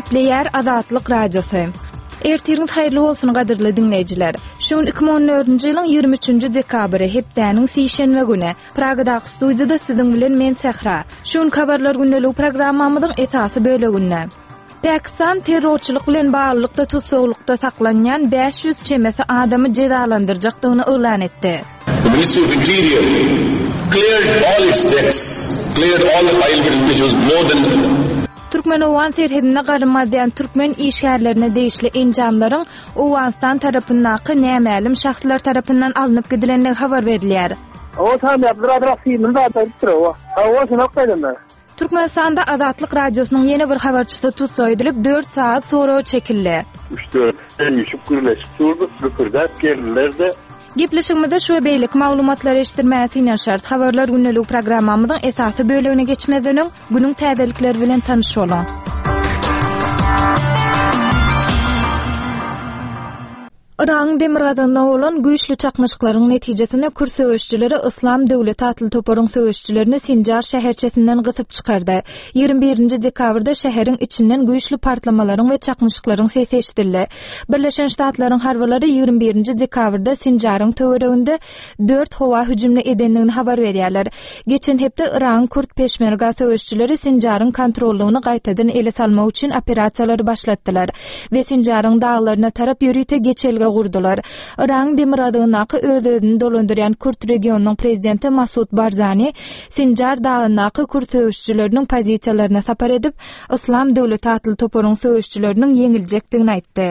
Gepleýär Azatlyk Radiosy. Ertiriňiz haýyrly bolsun gadyrly diňleýjiler. Şu gün 2014-nji ýylyň 23-nji dekabry, hepdäniň sişenbe güni. Pragadaky studiýada siziň bilen men Sähra. Şu günki habarlar gündeligi programmamyzyň esasy böleginde. Pakistan terrorçylyk bilen baglylykda tussaglykda saklanýan 500 çemesi adamy jezalandyrjakdygyny yglan etdi. The Ministry of Interior cleared all its debts, cleared all the file which was more than Türkmen-owgan serhedinde garym gazýan türkmen işgärlerine degişli enjamlaryň Owganystan tarapyndaky nämälim şahslar tarapyndan alnyp gidilendigi habar berilýär. Owa tanýap bir azrak simini zat aýdypdyr owa. Hawa şuny gaýdanda. Türkmenistanda Azatlyk Radiosynyň ýene bir habarçysy tussag edilip, dört sagat soraga çekildi. Üç-dört üýşüp gürleşip durduk, bükürdäp geldiler-de. Gepleşigimizde şu we beýleki maglumatlary eşitdirmäge synanyşarys. Habarlar gündeligi programmamyzyň esasy bölegine geçmezden öň, günüň täzelikleri bilen tanyş boluň. Yragyň demirgazygynda bolan güýçli çaknyşyklaryň netijesinde kürt söweşijileri Yslam döwleti atly toparyň söweşijilerini Sinjar şäherçesinden gysyp çykardy. Ýigrimi birinji dekabrda şäheriň içinden güýçli partlamalaryň we çaknyşyklaryň sesi eşidildi. Birleşen Ştatlaryň harbylary ýigrimi birinji dekabrda Sinjaryň töwereginde dört howa hüjümini edendigini habar berýärler. Geçen hepde Yragyň kürt peşmerga söweşijileri Sinjaryň kontrollygyny gaýtadan ele salmak üçin operasiýalary başlatdylar we Sinjaryň daglaryna tarap ýörite geçelge gurdular. Yragyň demirgazygyndaky öz-özüni dolandyrýan kürt regionynyň prezidenti Masud Barzani Sinjar dagyndaky kürt söweşijileriniň pozisiýalaryna sapar edip, Yslam döwleti atly toparyň söweşijileriniň ýeňiljekdigini aýtdy.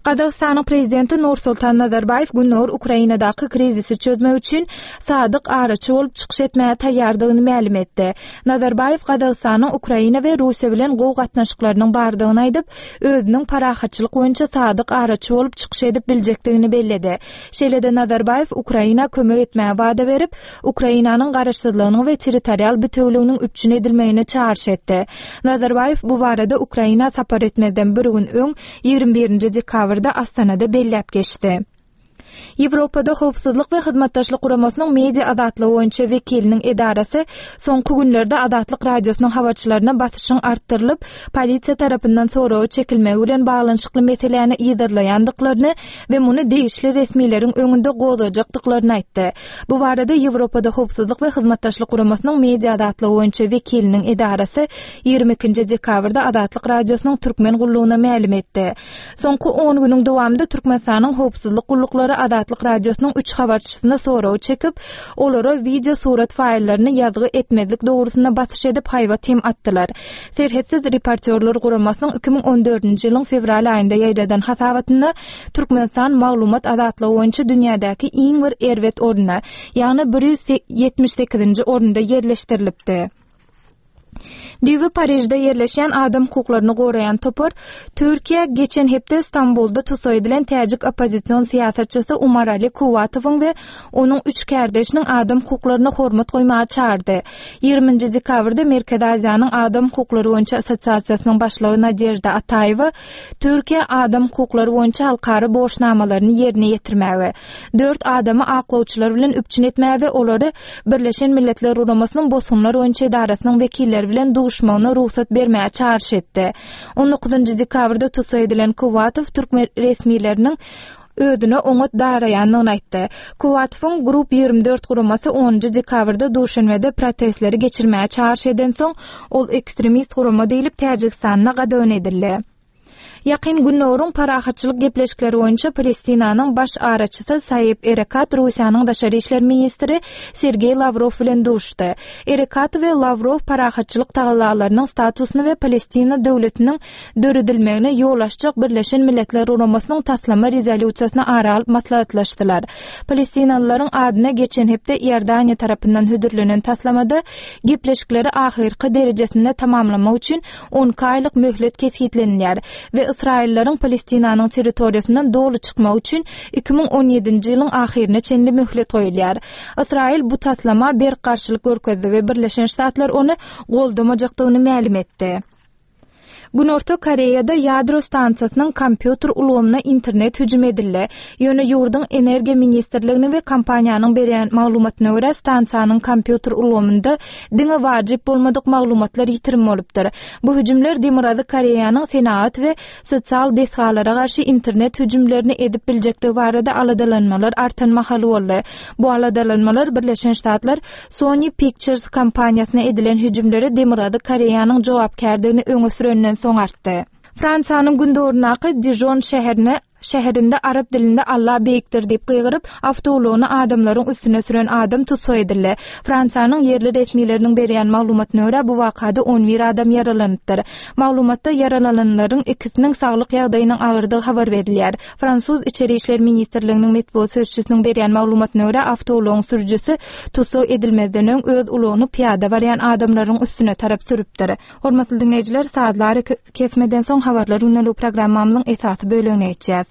Gazagystanyň prezidenti Nursultan Nazarbaýew Gündogar Ukrainadaky krizisi çözmek üçin sadyk araçy bolup çykyş etmäge taýýardygyny mälim etdi. Nazarbaýew Gazagystanyň Ukraina we Russiýa bilen gowy gatnaşyklarynyň bardygyny aýdyp, özüniň parahatçylyk boýunça sadyk araçy bolup çykyş edip biljekdigini belledi. Şeýle-de Nazarbaýew Ukraina kömek etmäge wada berip, Ukrainanyň garaşsyzlygynyň we territorial bitewüliginiň üpjün edilmegine çagyryş etdi. Nazarbaýew bu barada Ukraina sapar etmezden bir gün öň, ýigrimi birinji dekabrda Astanada belläp geçdi. Ýewropada Howpsuzlyk we Hyzmatdaşlyk Guramasynyň media azatlygy boýunça wekiliniň edarasy soňky günlerde Azatlyk Radiosynyň habarçylaryna basyşyň artdyrylyp, polisiýa tarapyndan soraga çekilmegi bilen baglanyşykly meseläni yzarlaýandyklaryny we muny degişli resmileriň öňünde gozgajakdyklaryny aýtdy. Bu barada Ýewropada Howpsuzlyk we Hyzmatdaşlyk Guramasynyň media azatlygy boýunça wekiliniň edarasy 22 dekabrda Azatlyk Radiosynyň Türkmen gullugyna mälim etdi. Soňky on günüň dowamynda Türkmenistanyň howpsuzlyk gulluklary Azatlyk Radiosynyň üç habarçysyny soraga çekip, olara wideo surat faýllaryny ýazgy etmezlik dogrusynda basyş edip haýbat hem atdylar. Serhetsiz reportýorlar guramasynyň 2014-nji ýylyň fewral aýynda ýaýradan hasabatynda Türkmenistan maglumat azatlygy boýunça dünýädäki iň bir erbet orunda, ýagny 178-nji orunda ýerleşdirilipdi. Düýbi Parižde ýerleşýän adam hukuklaryny goraýan topar Türkiýä geçen hepde Stambulda tussag edilen täjik oppozision syýasatçysy Umarali Kuwatowyň we onuň üç kärdeşiniň adam hukuklaryna hormat goýmaga çagyrdy. Ýigriminji dekabrda Merkezi Aziýanyň adam hukuklary boýunça assosiasiýasynyň başlygy Nadežda Ataýewa Türkiýä adam hukuklary boýunça halkara borçnamalaryny ýerine ýetirmäge, dört adamy aklawçylar bilen üpjün etmäge we olary Birleşen Milletler Guramasynyň Bosgunlar boýunça edarasynyň wekilleri bilen duşmagyna rugsat bermäge çagyryş etdi. On dokuzynjy dekabrda tussag edilen Kuwatow türkmen resmileriniň özüne oňat daraýandygyny aýtdy. Kuwatowyň Group 24 guramasy onunjy dekabrda Duşenbede protestleri geçirmäge çagyryş edensoň, ol ekstremist gurama diýlip Täjigistanda gadagan edildi. Ýakyn Gündogaryň parahatçylyk gepleşikleri boýunça Palestinanyň baş araçysy Saeb Erekat Russiýanyň daşary işler ministri Sergeý Lawrow bilen duşuşdy. Erekat we Lawrow parahatçylyk tagallalarynyň statusyny we Palestina döwletiniň döredilmegine ýol açjak Birleşen Milletler Guramasynyň taslama rezolýusiýasyny ara alyp maslahatlaşdylar. Palestinalylaryň adyna geçen hepde Iordaniýa tarapyndan hödürlenen taslamada gepleşikleri ahyrky derejesinde tamamlamak üçin 12 aýlyk möhlet kesgitlenilýär we ysraýyllaryň Palestinanyň territoriýasyndan doly çykmagy üçin 2017-nji ýylyň ahyryna çenli möhlet goýulýar. Ysraýyl bu taslama berk garşylyk görkezdi we Birleşen Ştatlar ony goldamajakdygyny mälim etdi. Günorta Koreýada ýadro stansiýasynyň kompýuter ulgamyna internet hüjüm edildi. Ýöne ýurduň Energiýa ministrliginiň we kompaniýanyň berýän maglumatyna görä, stansiýanyň kompýuter ulgamynda diňe wajyp bolmadyk maglumatlar ýitirim bolupdyr. Bu hüjümler Demirgazyk Koreýanyň senagat we sosial desgalara garşy internet hüjümlerini edip biljekdigi barada aladalanmalar artan mahaly boldy. Bu aladalanmalar Birleşen Ştatlar Sony Pictures kompaniýasyna edilen hüjümlere Demirgazyk Koreýanyň jogapkärdigini öňe sürenden soň artdy. Fransiýanyň gündogaryndaky Dižon şäherine şäherinde arap dilinde Alla beýikdir diýip gygyryp, awtoulagyny adamlaryň üstüne süren adam tussag edildi. Fransiýanyň ýerli resmileriniň berýän maglumatyna görä, bu wakada on bir adam ýaralanypdyr. Maglumatda ýaralananlaryň ikisiniň saglyk ýagdaýynyň agyrdygy habar berilýär. Fransuz Içeri işler ministrliginiň metbugat sözçüsiniň berýän maglumatyna görä, awtoulagyň sürüjisi tussag edilmezden öň öz ulagyny pyýada barýan adamlaryň üstüne tarap sürüpdir. Hormatly diňleýjiler, sazly arakesmeden soň Habarlar gündeligi programmamyzyň esasy bölegine geçýäs.